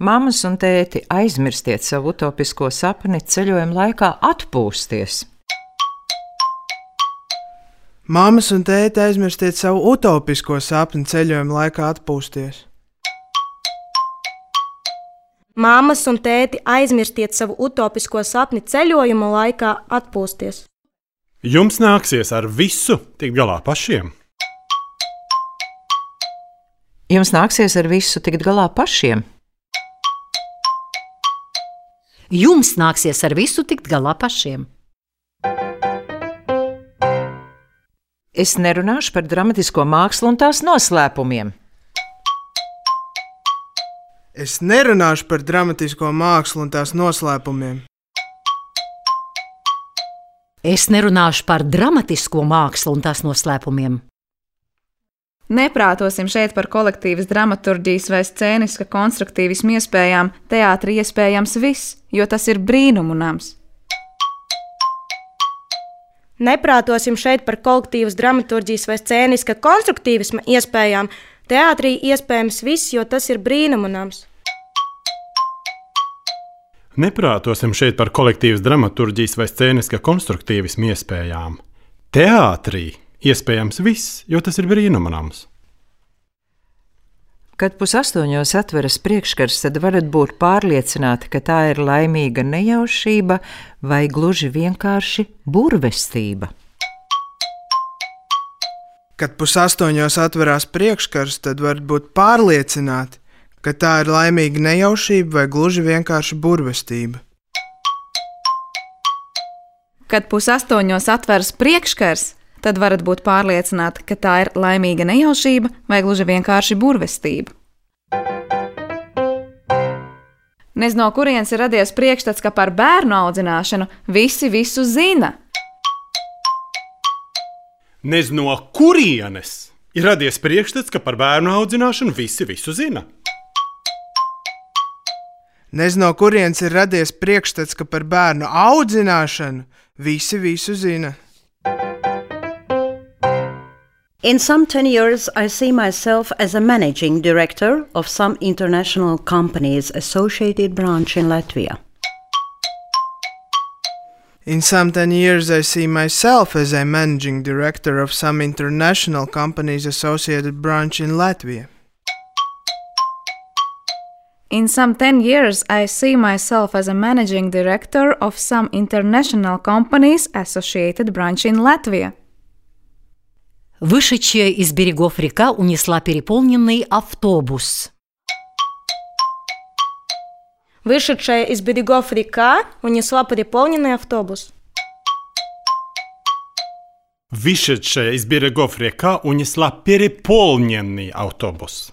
Mammas un tēti, aizmirstiet savu utopisko sapni ceļojuma laikā atpūsties. Mammas un tēti, aizmirstiet savu utopisko sapni ceļojuma laikā atpūsties. Mammas un tēti, aizmirstiet savu utopisko sapni ceļojuma laikā atpūsties. Jums nāksies ar visu tikt galā pašiem. Jums nāksies ar visu tikt galā pašiem. Jums nāksies ar visu tikt galā pašiem. Es nerunāšu par dramatisko mākslu un tās noslēpumiem. Es nerunāšu par dramatisko mākslu un tās noslēpumiem. Es nerunāšu par dramatisko mākslu un tās noslēpumiem. Neprātosim šeit par kolektīvas dramaturģijas vai scēniska konstruktīvismu iespējām, teātrī iespējams viss, jo tas ir brīnumu nams. Neprātosim šeit par kolektīvas dramaturģijas vai scēniska konstruktīvisma iespējām, teātrī iespējams viss, jo tas ir brīnumu nams. Neprātosim šeit par kolektīvas dramaturģijas vai scēniska konstruktīvismu iespējām. Teātrī iespējams viss, jo tas ir brīnuma nams. Kad 7:30 atveras priekškars, tad varat būt pārliecināti, ka tā ir laimīga nejaušība vai gluži vienkārši burvestība. Kad 7:30 atverās priekškars, tad varat būt pārliecināti, ka tā ir laimīga nejaušība vai gluži vienkārši burvestība. Kad 7:30 atveras priekškars, tad varat būt pārliecināti, ka tā ir laimīga nejaušība vai gluži vienkārši burvestība. Nez no kurienes ir radies priekšstats, ka par bērnu audzināšanu visi visu zina. Nez no kurienes ir radies priekšstats, ka par bērnu audzināšanu visi visu zina. Nez no kurienes ir radies priekšstats, ka par bērnu audzināšanu visi visu zina. In some 10 years, I see myself as a managing director of some international company's associated branch in Latvia. In some 10 years, I see myself as a managing director of some international company's associated branch in Latvia. In some 10 years, I see myself as a managing director of some international company's associated branch in Latvia. Вышедшая из берегов река унесла переполненный автобус. Вышедшая из берегов река унесла переполненный автобус. Вышедшая из берегов река унесла переполненный автобус.